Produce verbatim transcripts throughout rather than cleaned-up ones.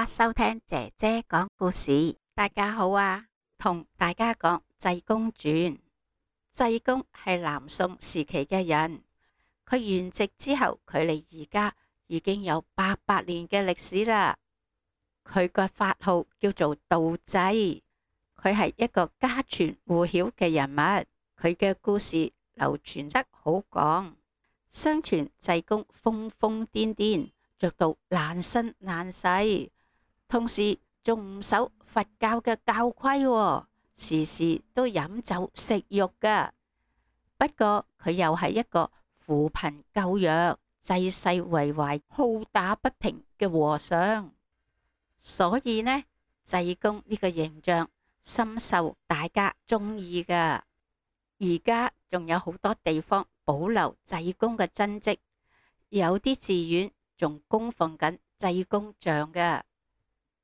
家收聽姐姐講故事。大家好啊，同大家講濟公傳。濟公係南宋時期嘅人，佢圓寂之後，距離而家已經有八百年嘅歷史啦。佢個法號叫做道濟，佢係一個家傳戶曉嘅人物，佢嘅故事流傳得好廣。相傳濟公瘋瘋癲癲，做到爛身爛世，同時仲唔守佛教嘅教規喎，時時都飲酒食肉噶。不過佢又係一個扶貧救弱、濟世為懷、好打不平嘅和尚，所以呢，濟公呢個形象深受大家中意噶。而家仲有好多地方保留濟公嘅真跡，有啲寺院仲供奉緊濟公像嘅，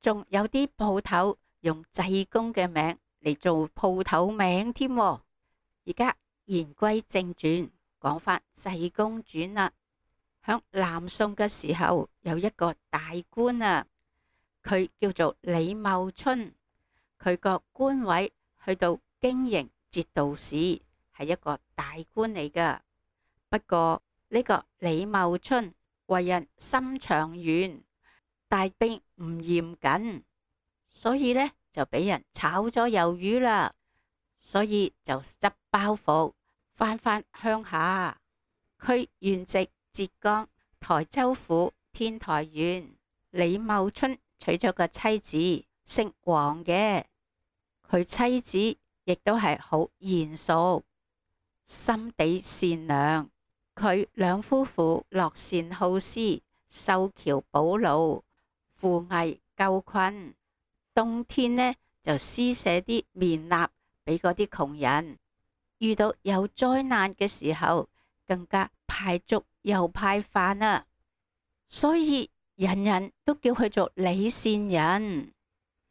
仲有啲鋪頭用濟公嘅名嚟做鋪頭名添。而家言歸正傳，講返濟公傳啦。響南宋嘅時候，有一個大官啊，佢叫做李茂春，佢個官位去到經營節度使，係一個大官嚟噶。不過呢個李茂春為人心腸軟，帶兵唔嚴謹，所以呢就俾人炒咗魷魚啦。所以就執包袱翻返鄉下。佢原籍浙江台州府天台縣。李茂春娶咗個妻子姓黃嘅，佢妻子亦都係好賢淑，心地善良。佢兩夫婦樂善好施，修橋補路，扶危救困。冬天呢就施捨啲棉衲俾嗰啲窮人，遇到有災難嘅時候，更加派粥又派飯啊！所以人人都叫佢做李善人。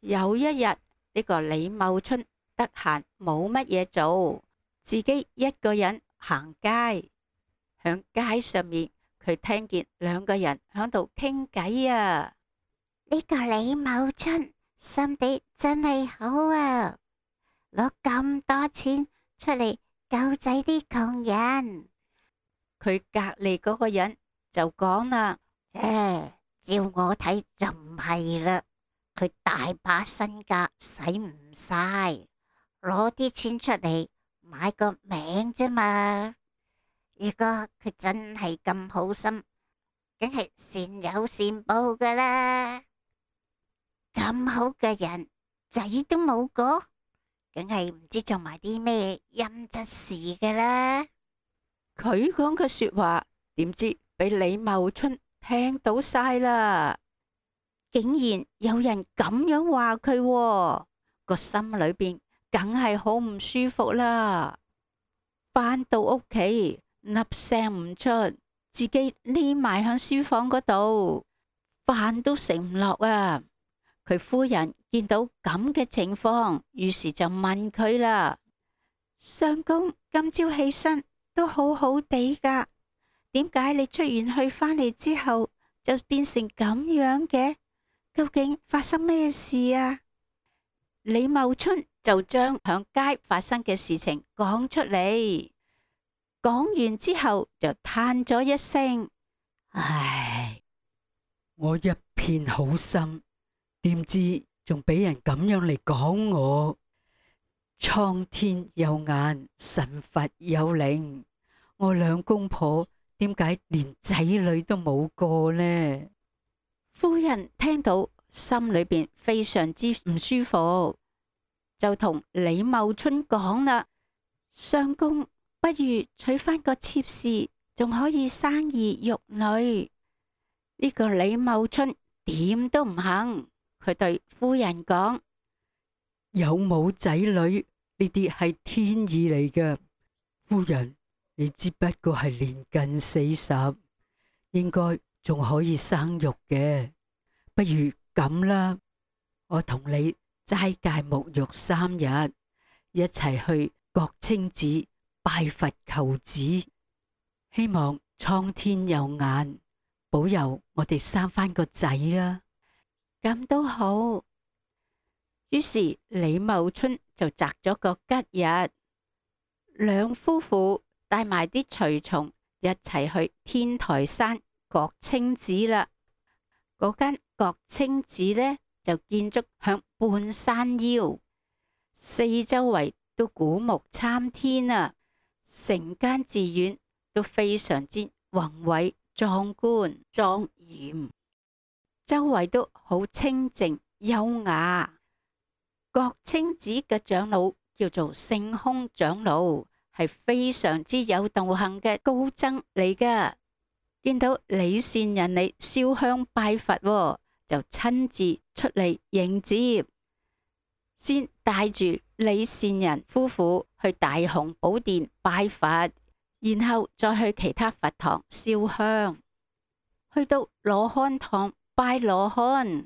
有一日，呢個李茂春得閒冇乜嘢做，自己一個人行街。響街上面，佢聽見兩個人響度傾偈啊！呢個李茂春心地真係好啊，攞咁多錢出嚟救濟啲窮人。佢隔籬嗰個人就講啦：誒，照我睇就唔係啦，佢大把身家使唔晒，攞啲錢出嚟買個名啫嘛。如果佢真係咁好心，梗係善有善報噶啦。咁好嘅人，仔都冇個，梗係唔知做埋啲咩陰質事噶啦。佢講嘅說話，點知俾李茂春聽到晒啦，竟然有人咁樣話佢喎，個心裏邊梗係好唔舒服啦。返到屋企，粒聲唔出，自己匿埋響書房嗰度，飯都食唔落啊！佢夫人見到咁嘅情況，於是就問佢啦：相公今朝起身都好好地噶，點解你出完去返嚟之後就變成咁樣嘅？究竟發生咩事啊？李茂春就將響街發生嘅事情講出嚟。講完之後就嘆咗一聲：唉，我一片好心，點知仲俾人咁樣嚟講我。蒼天有眼，神佛有靈，我兩公婆點解連仔女都冇個呢？夫人聽到心裏邊非常之唔舒服，就同李茂春講啦：相公，不如娶翻個妾侍，仲可以生兒育女。呢個李茂春點都唔肯，佢對夫人講：有冇仔女呢啲係天意嚟㗎，夫人你只不過係年近四十，應該仲可以生育嘅。不如咁啦，我同你齋戒沐浴三日，一齊去國清寺拜佛求子，希望蒼天有眼，保佑我哋生翻個仔啊！咁都好。於是李茂春就擇咗個吉日，兩夫婦帶埋啲隨從一齊去天台山國清寺啦。嗰間國清寺呢，就建築響半山腰，四周圍都古木參天啊，成間寺院都非常之宏偉壯觀莊嚴，周圍都好清靜優雅。國清寺嘅長老叫做聖空長老，係非常之有道行嘅高僧嚟噶。見到李善人嚟燒香拜佛，就親自出嚟迎接，先帶住李善人夫婦去大雄寶殿拜佛，然後再去其他佛堂燒香。去到羅漢堂拜羅漢，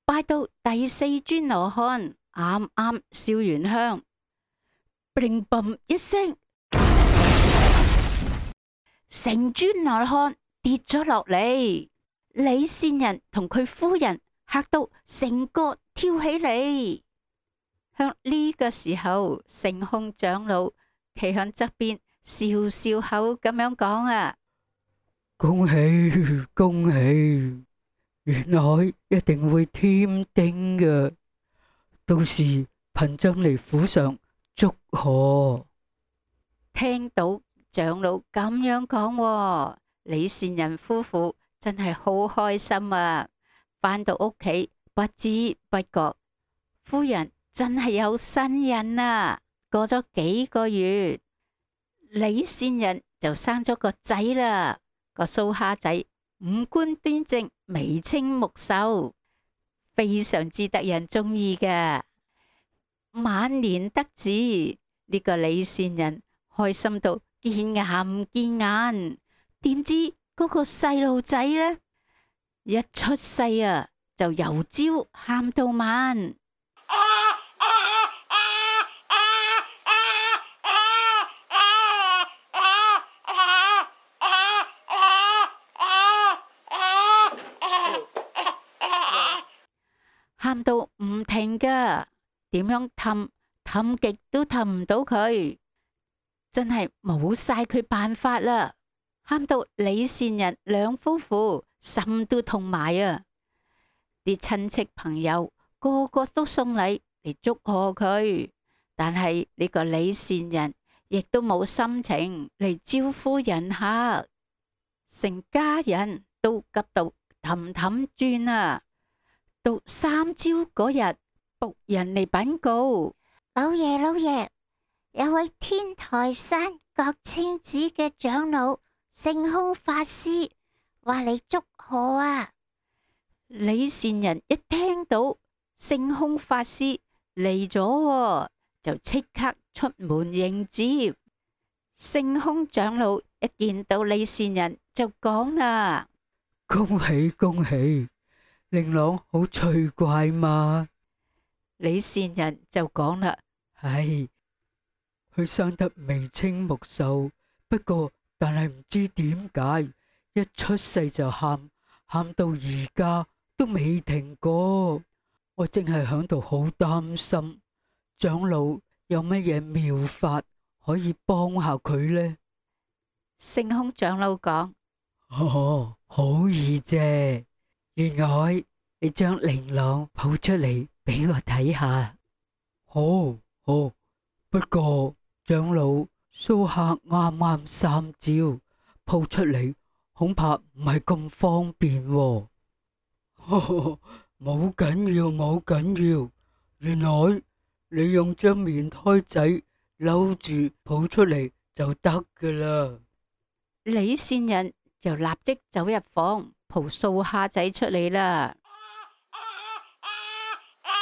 拜到第四尊羅漢，啱啱燒完香，砰砰一聲，成尊羅漢跌咗落嚟。李善人同佢夫人嚇到成個跳起嚟。向呢個時候，聖空長老企喺側邊笑笑口咁樣講啊：恭喜恭喜！原來一定會添丁嘅，到時貧僧嚟府上祝賀。聽到長老咁樣講，李善人夫婦真係好開心啊！返到屋企不知不覺，夫人真係有身孕啊！過咗幾個月，李善人就生咗個仔啦。個蘇蝦仔五官端正，眉清目秀，非常之得人中意嘅。晚年得子，呢、這個李善人開心到見牙唔見眼。點知嗰個細路仔呢，一出世啊，就由朝喊到晚。喊到唔停噶，點樣氹氹極都氹唔到佢，真係冇晒佢辦法啦！喊到李善人兩夫婦心都痛埋啊！啲親戚朋友個個都送禮嚟祝賀佢，但係呢個李善人亦都冇心情嚟招呼人客，成家人都急到氹氹轉啊！到三朝嗰日，僕人嚟稟告：老爺老爺，有位天台山國清寺嘅長老聖空法師話嚟祝賀啊！李善人一聽到聖空法師嚟咗，就即刻出門迎接。聖空長老一見到李善人就講啦：恭喜恭喜！令郎好趣怪嘛？李善人就講啦：係，佢生得眉清目秀，不過但係唔知點解一出世就喊，喊到而家都未停過。我正係響度好擔心，長老有乜嘢妙法可以幫下佢呢？聖空長老講：哦，好易啫。員外，你將令郎抱出嚟俾我睇下。好，好。不過長老蘇蝦啱啱三朝，抱出嚟恐怕唔係咁方便喎。冇緊要，冇緊要。員外，你用張棉胎仔摟住抱出嚟就得噶啦。李善人就立即走入房，抱蘇蝦仔出嚟啦，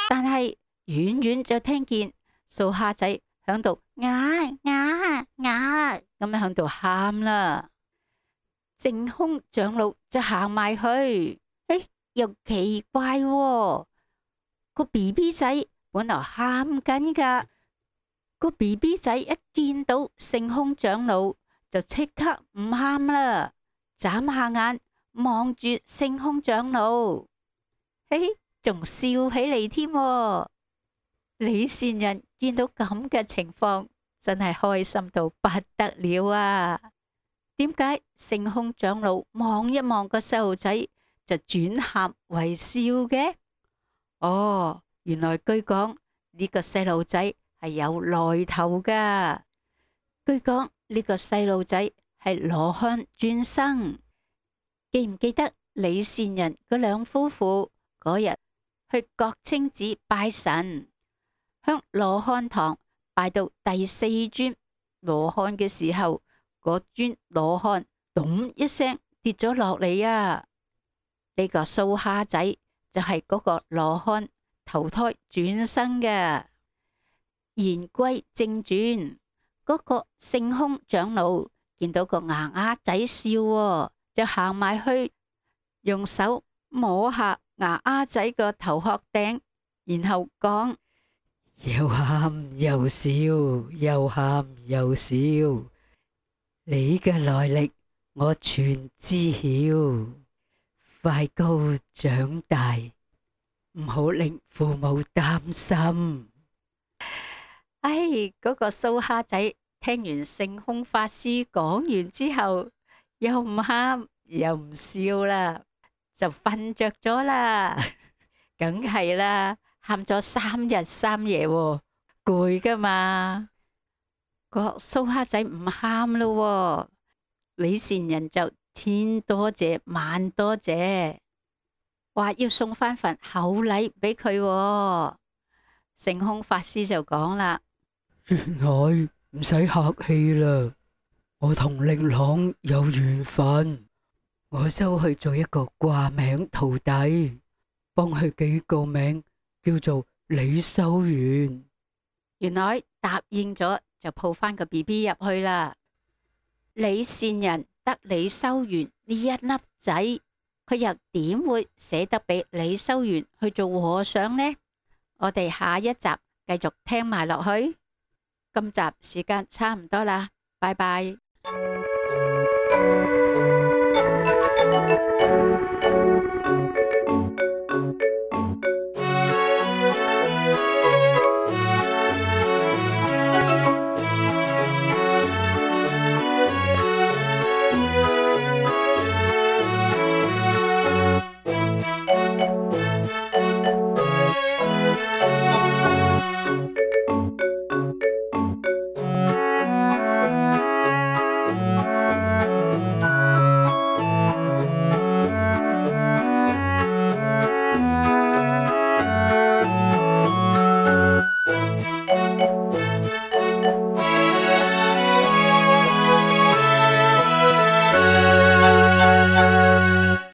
但係遠遠就聽見蘇蝦仔響度嗌嗌嗌咁樣響度喊啦。聖空長老就行埋去，誒，又奇怪喎，個 B B 仔本來喊緊噶，個 B B 仔一見到聖空長老就即刻唔喊啦，眨下眼望住聖空長老。嘿，仲笑起嚟添喎。李善人見到咁嘅情況，真係開心到不得了啊！點解聖空長老望一望個細路仔就轉喊為笑嘅？哦，原來據講呢個細路仔係有來頭噶。據講呢個細路仔係羅漢轉生。記唔記得李善人嗰兩夫婦嗰日去國清寺拜神，向羅漢堂拜到第四尊羅漢嘅時候，嗰尊羅漢咚一聲跌咗落嚟啊！呢個蘇蝦仔就係嗰個羅漢投胎轉生嘅。言歸正傳，嗰個聖空長老見到個牙牙仔笑喎，就行埋去，用手摸下牙牙仔個頭殼頂，然後講：又喊又笑，又喊又笑，你嘅來歷我全知曉，快高長大，唔好令父母擔心。唉，嗰個蘇蝦仔聽完聖空法師講完之後，又唔喊又唔笑啦，就瞓着咗啦。梗係啦，喊咗三日三夜喎，攰噶嘛。個蘇蝦仔唔喊咯，李善人就千多謝萬多謝，話要送翻份厚禮俾佢喎。聖空法師就講啦：原來唔使客氣啦，我同令郎有緣分，我收去做一個掛名徒弟，幫佢幾個名，叫做李修緣。原來答應咗就抱翻個 B B 入去啦。李善人得李修緣呢一粒仔，佢又點會捨得俾李修緣去做和尚呢？我哋下一集繼續聽埋落去。今集時間差唔多啦，拜拜。